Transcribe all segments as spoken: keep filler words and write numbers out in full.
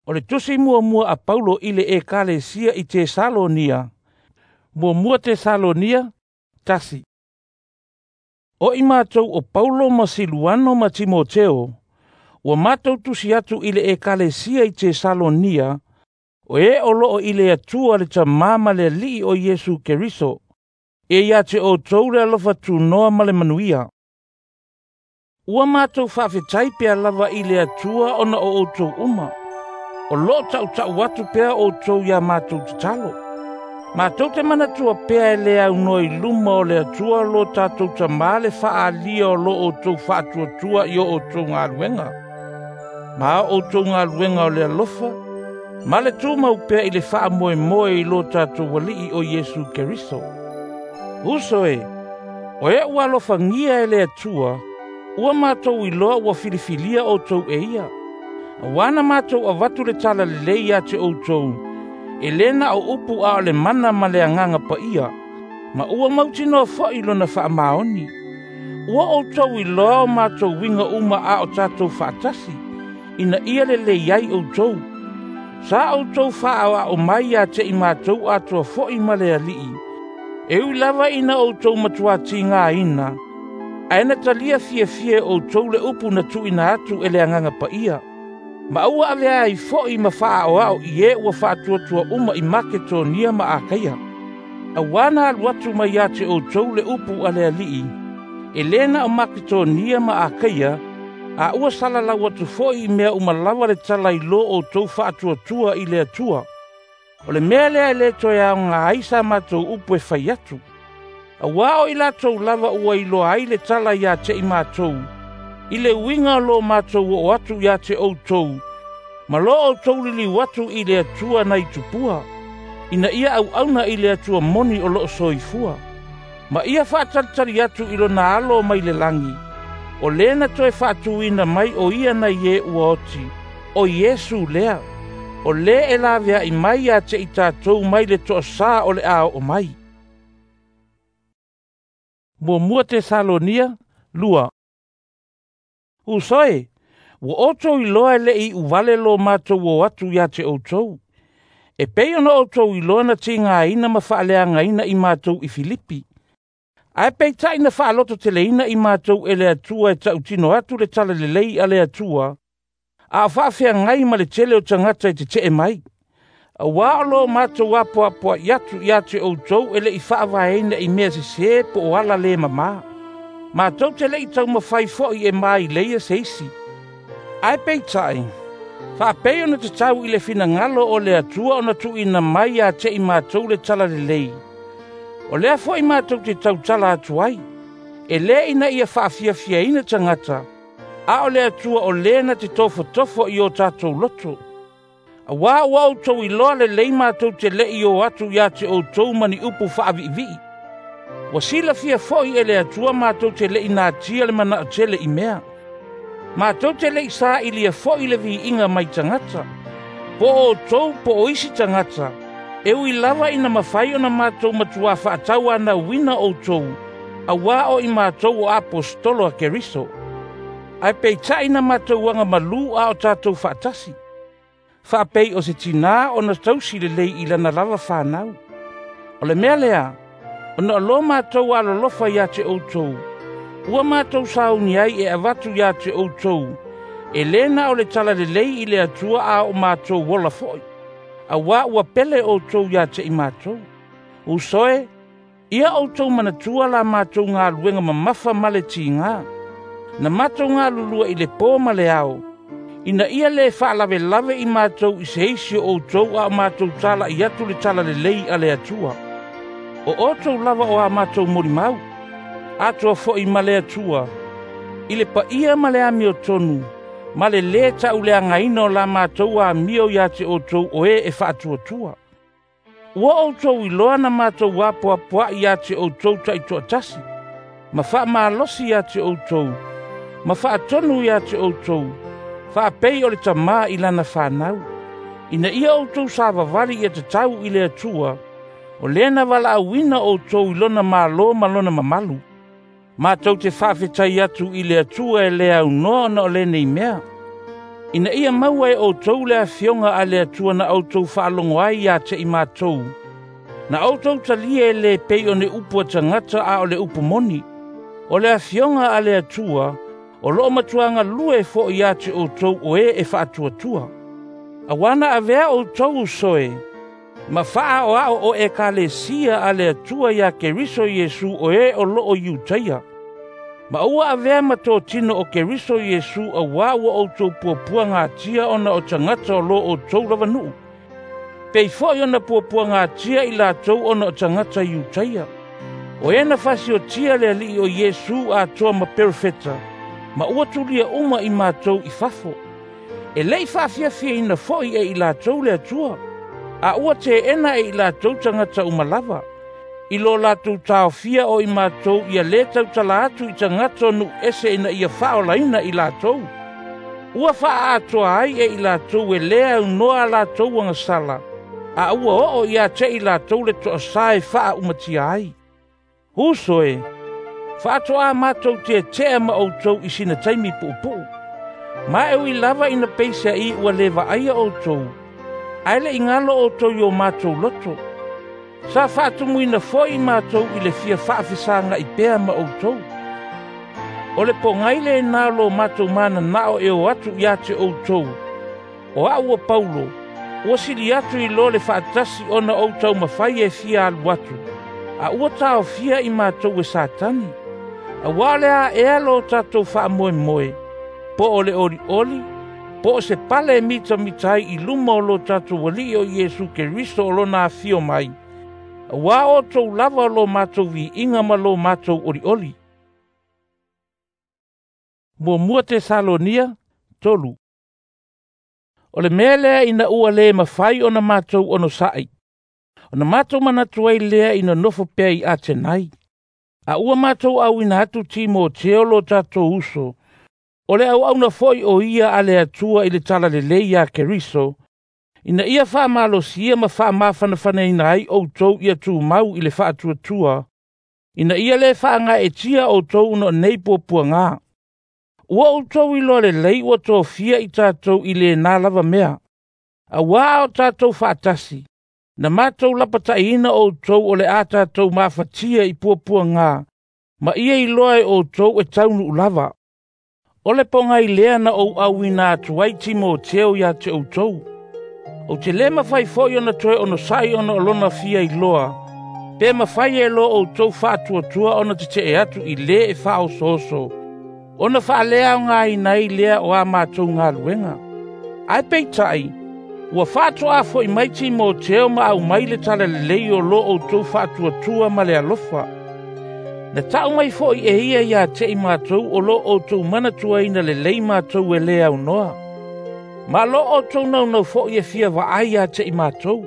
O le tusi muamua a Paulo i le Ekalesia i Tesalonia, Muamua Tesalonia, tasi. O i matou o Paulo ma Siluano ma Timoteo, ua matou tusi atu i le Ekalesia i Tesalonia, o e o loo i le Atua le Tamā ma le Alii o Iesu Keriso, e ia te outou le alofa tunoa ma le manuia. Ua matou faafetai pea lava i le Atua ona o outou uma. O loo tautau atu pea outou ia matou tatalo. Matou te manatua pea e le aunoa i luma o le Atua lo tatou Tamā le faaalia o lo outou faatuatua i o outou galuega. Ma o outou galuega o le alofa, ma le tumau pea i le faamoemoe i lo tatou Alii o Iesu Keriso. Uso e, o e ua alofagia e le Atua, ua matou iloa ua filifilia outou e ia. Auā na matou avatu le tala lelei ia te outou, e lē na o upu a o le mana ma le Agaga Paia, ma ua mautinoa foi lona faamaoni. Ua outou iloa o matou uiga uma a o tatou faatasi, ina ia lelei ai outou. Sa outou faaoao mai ia te i matou atoa foi ma le Alii, e ui lava ina outou matuātigāina, ae na talia fiafia e outou le upu na tuuina atu e le Agaga Paia. Ma ua avea ai foi ma faaoao i e ua faatuatua uma i Maketonia ma Akaia. Auā na alu atu mai ia te outou le upu a le Alii, e lē na o Maketonia ma Akaia, a ua salalau atu foi i mea uma lava le tala i lo outou faatuatua i le Atua. O le mea lea e lē toe aoga ai sa matou upu e fai atu. Auā o i latou lava ua iloa ai le tala ia te i matou, i le uiga o lo matou oo atu ia te outou, ma lo outou liliu atu i le Atua nai tupua, ina ia auauna i le Atua moni o loo soifua. Ma ia faatalitali atu i lona alo mai le lagi, o lē na toe faatuina mai o ia nai e ua oti, o Iesu lea, o lē e laveai mai ia te i tatou mai le toasā o le a oo mai. Muamua Tesalonia, lua. Uso e, ua outou iloa e le'i uvale lo matou o atu ia te outou. E pei ona outou iloa na tigāina ma faaleagaina i matou i Filipi. Ae peitai na faalototeleina i matou e le Atua e tautino atu le tala lelei a le Atua, a o faafeagai ma le tele o tagata e tetee mai. Auā o lo matou apoapoai atu ia te outou e le'i faavaeina i mea sesē po o ala lē mamā. Matou te le'i taumafai foi e maileia se isi. Ae peitai, faapei ona tatau i le finagalo o le Atua ona tuuina mai ia te i matou le tala lelei. O lea foi matou te tautala atu ai, e lē ina ia faafiafiaina tagata, a o le Atua o lē na te tofotofo i o tatou loto. Auā ua outou iloa lelei matou te le'i o atu ia te outou ma ni upu faaviivii. Ua silafia foi e le Atua matou te le'i natia le manao tele i mea. Matou te le'i sailia foi le viiga mai tagata. Po o outou po o isi tagata, e ui lava ina mafai ona matou matuā faatauanauina outou, auā o i matou o aposetolo a Keriso. Ae peitai na matou agamalū a o tatou faatasi. Faapei o se tinā ona tausi lelei i lana lava fanau. O le mea lea, ona o lo matou alolofa ia te outou, ua matou sauni ai e avatu ia te outou, e lē na o le tala lelei i le Atua a o matou ola foi. Auā ua pele outou ia te i matou. Uso e, ia outou manatua la matou galuega mamafa ma le tigā. Na matou galulua i le pō ma le ao, ina ia lē faalavelave i matou i se isi o outou a o matou tala'i atu le tala lelei a le Atua. O outou lava o a matou molimau, atoa foi ma le Atua, i le paia ma le amiotonu, ma le lē tauleagaina o la matou amio ia te outou o e e faatuatua. Ua outou iloa na matou apoapoai ia te outou taitoatasi, ma faamalosi ia te outou, ma faatonu ia te outou, faapei o le tamā i lana fanau. Ina ia outou savavali ia tatau i le Atua, o lē na valaauina outou i lona malo ma lona mamalu. Matou te faafetai atu i le Atua e le aunoa ona o lenei mea. Ina ia maua e outou le afioga a le Atua na outou faalogo ai ia te i matou, na outou talia e le pei o ni upu a tagata a o le upu moni. O le afioga a le Atua o loo matua galue foi ia te outou o e e faatuatua. Auā na avea outou uso e, ma faaoao o ekalesia a le Atua ia Keriso Iesu o e o loo Iutaia. Ma ua avea ma totino o Keriso Iesu auā ua outou puapuagatia ona o tagata o lo outou lava nuu. Pei foi ona puapuagatia i latou ona o tagata Iutaia. O e na fasiotia le Alii o Iesu atoa ma perofeta, ma ua tulia uma i matou i fafo. E lei faafiafiaina foi e i latou le Atua, a ua teena e i latou tagata uma lava. I lo latou taofia o i matou ia lē tautala atu i tagata o nuu ese ina ia faaolaina i latou. Ua faaatoa ai e i latou e lē aunoa a latou agasala, a ua oo ia te i latou le toasā e faaumatia ai. Uso e, faatoā matou tietea ma outou i sina taimi puupuu. Ma e ui lava ina peiseai ua lē vaaia outou, ae le i galo outou i o matou loto. Sa faatumuina foi matou i le fia faafesagai pea ma outou. O le pogai lenā o lo matou mananao e o atu ia te outou, o au o Paulo, ua sili atu i lo le faatasi ona ou taumafai e fia alu atu, a ua taofia i matou e Satani. Auā o le a ea lo tatou faamoemoe, po o le olioli, po o se pale e mitamita ai i luma o lo tatou Alii o Iesu Keriso o lona afio mai, auā outou lava o lo matou viiga ma lo matou olioli. Muamua Tesalonia tolu. O le mea lea ina ua lē mafai ona matou onosa'i, ona matou manatu ai lea ina nofo pea i Atenai. A ua matou auina atu Timoteo lo tatou uso, o le auauna foi o ia a le Atua i le talalelei ia Keriso, ina ia faamalosia ma faamafanafanaina ai outou ia tumau i le faatuatua, ina ia lē faagaeetia outou ona o nei puapuagā. Ua outou iloa lelei ua tofia i tatou i lenā lava mea. Auā a o tatou faatasi, na matou lapataiina outou o le a tatou mafatia i puapuagā, ma ia iloa e outou e taunuu lava. O le pogai lea na ou auina atu ai Timoteo ia te outou. Ou te lē mafai foi ona toe onosai ona o lona fia iloa, pe mafai e lo outou faatuatua ona tetee atu i lē e faaosooso, ona faaleaogaina ai lea o a matou galuega. Ae peitai, ua faatoā foi mai Timoteo ma aumai le talalelei o lo outou faatuatua ma le alofa. Na tau mai foi e ia ia te i matou o lo outou manatuaina lelei matou e lē aunoa. Ma lo outou naunau foi e fia vaai ia te i matou.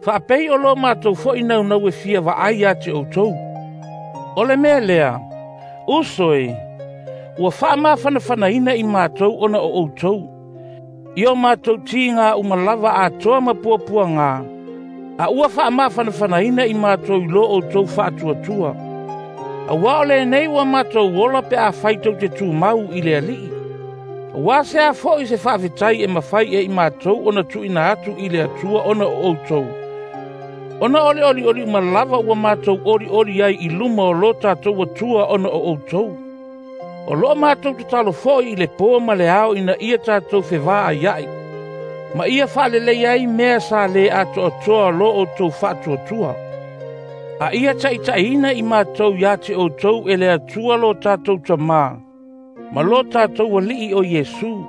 Faapei o lo matou foi naunau e fia vaai ia te outou. O le mea lea, uso e, ua faamafanafanaina i matou ona o outou. I o matou tiga uma lava atoa ma puapuagā, a ua faamafanafanaina i matou i lo outou faatuatua. Auā o lenei ua matou ola pe afai tou te tumau i le Alii. Auā se a foi se faafetai e mafai e i matou ona tuuina atu i le Atua ona o outou. Ona o le olioli uma lava ua matou olioli ai i luma o lo tatou Atua ona o outou. O loo matou tatalo foi i le po ma le ao ina ia tatou fevaaiai, ma ia faalelei ai mea sa lē atoatoa o lo outou faatuatua. A ia taitaiina i matou ia te outou e le Atua lo tatou Tamā, ma lo tatou Alii o Iesu.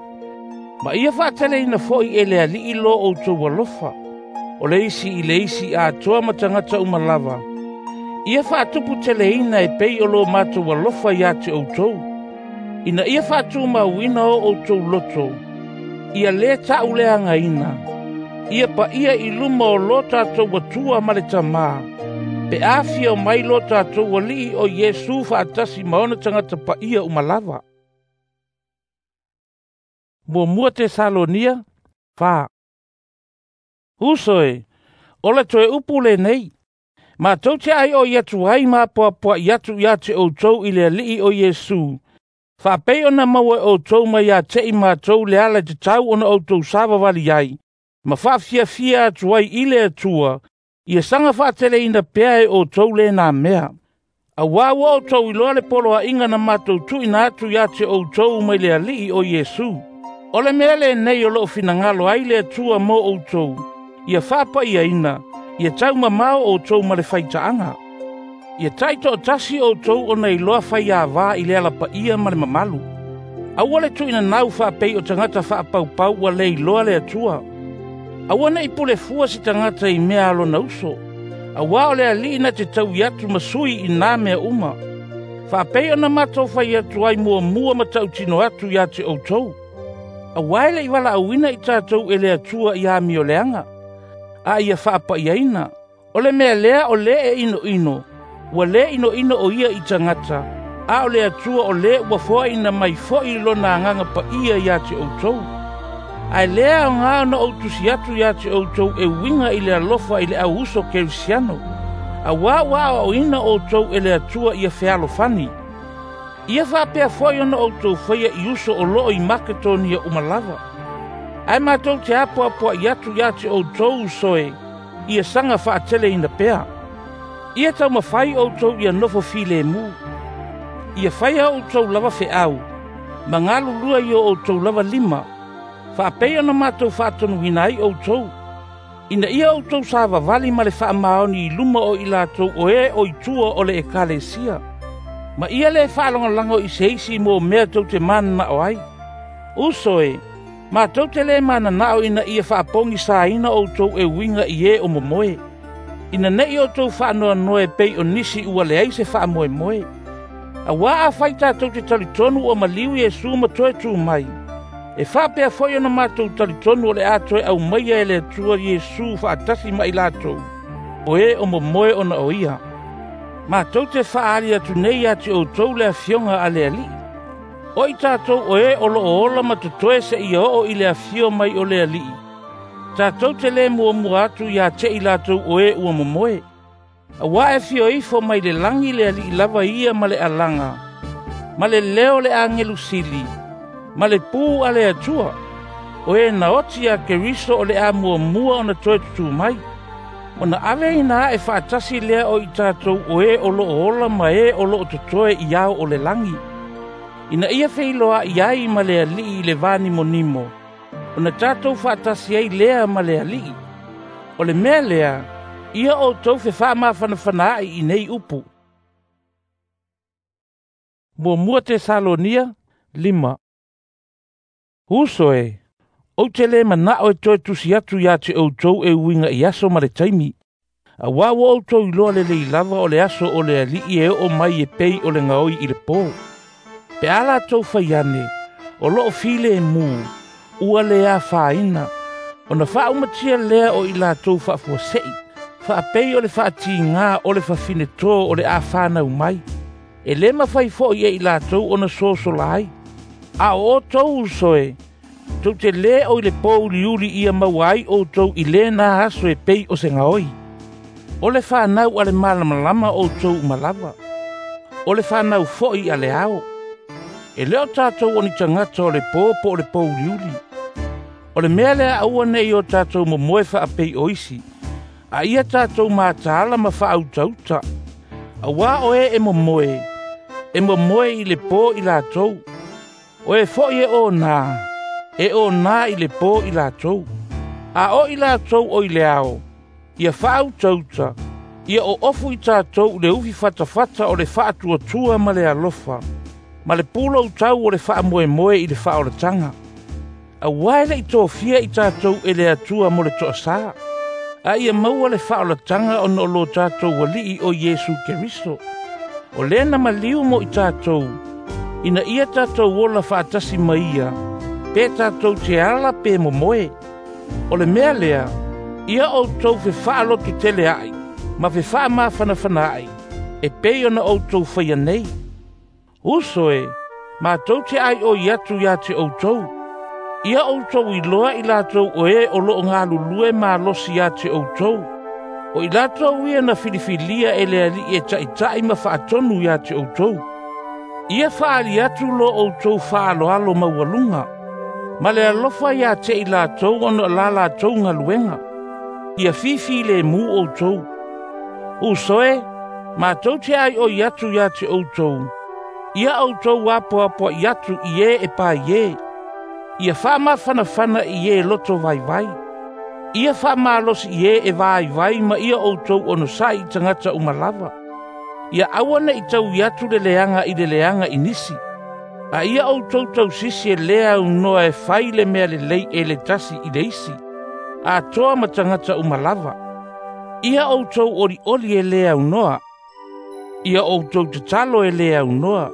Ma ia faateleina foi e le Alii lo outou alofa, o le isi i le isi atoa ma tagata uma lava. Ia faatuputeleina e pei o lo matou alofa ia te outou, ina ia faatumauina o outou loto, ia lē taʻuleagaina, ia paia i luma o lo tatou Atua ma le Tamā, pe afio mai lo tatou Alii o Iesu faatasi ma ona tagata paia uma lava. Muamua Tesalonia fa. Uso e, o le toe upu lenei, matou te aioi atu ai ma apoapoai atu ia te outou i le Alii o Iesu, Faapei ona maua e outou mai ia te i matou le ala e tatau ona outou savavali ai, ma faafiafia atu ai i le Atua, ia saga faateleina pea e outou lena mea. Auā ua outou iloa le poloaiga na matou tuuina atu ia te outou mai le Alii o Iesu. O le mea lenei o loo finagalo ai le Atua mo outou, ia faapaiaina, ia taumamao outou ma le faitaaga. Ia taitoatasi outou ona iloa faiavā i le alapaia ma le mamalu. Aua le tuuinanau faapei o tagata faapaupau ua le iloa le Atua. Aua nei pulefua se tagata i mea a lona uso, auā o le Alii na te taui atu ma sui i nā mea uma. Faapei ona matou fai atu ai muamua ma tautino atu ia te outou. Auā e le i valaauina i tatou e le Atua i amioleaga, a ia faapaiaina. O le mea lea o lē e inoino, ua lē inoino o ia i tagata, a o le Atua o lē ua foaina mai foi lona agaga paia ia te outou. Ae lea aoga ona ou tusi atu ia te outou e uiga i le alofa i le au uso kerisiano, auā ua aoaoina outou e le Atua ia fealofani. Ia faapea foi ona outou faia i uso o loo i Maketonia uma lava. Ae matou te apoapoai atu ia te outou uso e, ia saga faateleina pea. Ia taumafai outou ia nofo filemu. Ia faia outou lava feau, ma galulue i o outou lava lima, faapei ona matou faatonuina ai outou, ina ia outou savavali ma le faamaoni i luma o i latou o e o i tua o le ekalesia. Ma ia le faalagolago i se isi mo mea tou te mananao ai. Uso e, matou te le mananao ina ia faapogisaina outou e uiga i e o momoe, ina nei outou faanoanoa e pei o nisi ua leai se faamoemoe. Auā afai tatou te talitonu ua maliu Iesu ma toe tu mai, e faapea foi ona matou talitonu o le a toe aumaia e le Atua Iesu faatasi ma i latou, o e o momoe ona o ia. Matou te faaali atu nei ia te outou le afioga a le Alii. O i tatou o e o loo ola ma totoe seia oo i le afio mai o le Alii, tatou te le muamua atu ia te i latou o e ua momoe. Auā e fio ifo mai le lagi le Alii lava ia ma le alaga, ma le leo le agelu sili, ma le pū a le Atua, o e na oti ia Keriso o le a muamua ona toe tutū mai. Ona aveina ae faatasi lea o i tatou o e o loo ola ma e o loo totoe i ao o le lagi, ina ia feiloai ai ma le Alii i le vanimonimo, ona tatou faatasi ai lea ma le Alii. O le mea lea, ia outou fefaamafanafanaai i nei upu. Muamua Tesalonia lima. Uso e, ou te le manao e toe tusi atu ia te outou e uiga i aso ma le taimi. Auā ua outou iloa lelei lava o le aso o le Alii e oo mai e pei o le gaoi i le pō. Pe a latou fai ane, o loo filemu, ua le afaina, ona faaumatia lea o i latou faafuasei, faapei o le faatigā o le fafinetō o le a fanau mai. E lē mafai foi e i latou ona sosola ai. A o outou uso e, tou te lē o i le pōuliuli ia maua ai outou i lena aso e pei o se gaoi. O le fanau a le malamalama outou uma lava. O le fanau foi a le ao. E le o tatou o ni tagata o le pō po o le pōuliuli. O le mea lea aua nei o tatou momoe faapei o isi, a ia tatou mataala ma faautauta. Auā o e e momoe, e momoe i le pō i latou. O e foi e onā, e onā i le pō i latou. A o i latou o i le ao, ia faautauta, ia oofu i tatou i le ufi fatafata o le faatuatua ma le alofa, ma le puloutau o le faamoemoe i le faaolataga. Auā e le i tofia i tatou e le Atua mo le toasā, a ia maua le faaolataga ona o lo tatou Alii o Iesu Keriso. O lea na maliu mo i tatou, ina ia tatou ola faatasi ma ia, pe tatou te ala pe momoe. O le mea lea, ia outou fefaaloto tele ai, ma fefaamafanafana ai, e pei ona outou faia nei. Uso e, matou te aioi atu ia te outou. Ia outou iloa i latou o e o loo galulue malosi ia te outou. O i latou ia na filifilia e le Alii e taitai ma faatonu ia te outou. Ia faaali atu lo outou faaaloalo maualuga, ma le alofa ia te i latou ona o la latou galuega. Ia fifilemu outou. Uso e, matou te aioi atu ia te outou, ia outou apoapoai atu i e e paie. Ia faamafanafana i e loto vaivai. Ia faamalosi i e e vaivai ma ia outou onosai i tagata uma lava. Ia aua ne'i taui atu le leaga i le leaga i nisi. A ia outou tausisi e lē aunoa e fai le mea lelei e le tasi i le isi, atoa ma tagata uma lava. Ia outou olioli e lē aunoa. Ia outou tatalo e lē aunoa.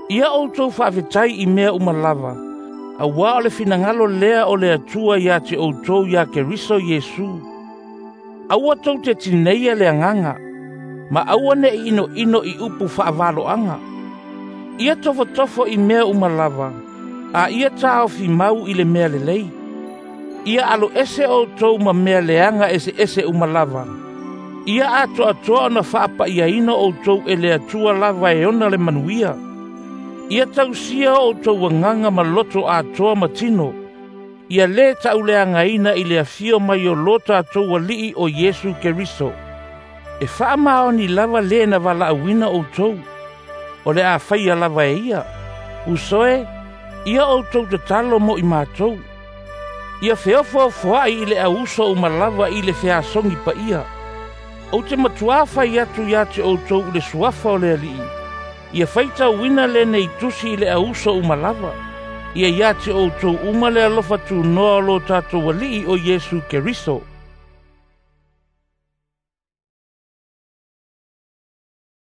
Ia outou faafetai i mea uma lava, auā o le finagalo lea o le Atua ia te outou iā Keriso Iesu. Aua tou te tineia le agaga, ma aua ne'i inoino i upu faavaloaga. Ia tofotofo i mea uma lava, a ia taofi mau i le mea lelei. Ia aloese outou ma mea leaga eseese uma lava. Ia atoatoa ona faapaiaina outou e le Atua lava e ona le manuia. Ia tausia outou agaga ma loto atoa ma tino. Ia lē tauleagaina i le afio mai o lo tatou Alii o Iesu Keriso. E faamaoni lava lē na valaauina outou. O le a faia lava e ia. Uso e, ia outou tatalo mo i matou. Ia feofoafoa'i i le auuso uma lava i le feasogi paia. Ou te matuā fai atu ia te outou i le suafa o le Alii. Ia faitauina lenei tusi i le auuso uma lava. Ia ia te outou uma le alofa tunoa o lo tatou Alii o Iesu Keriso.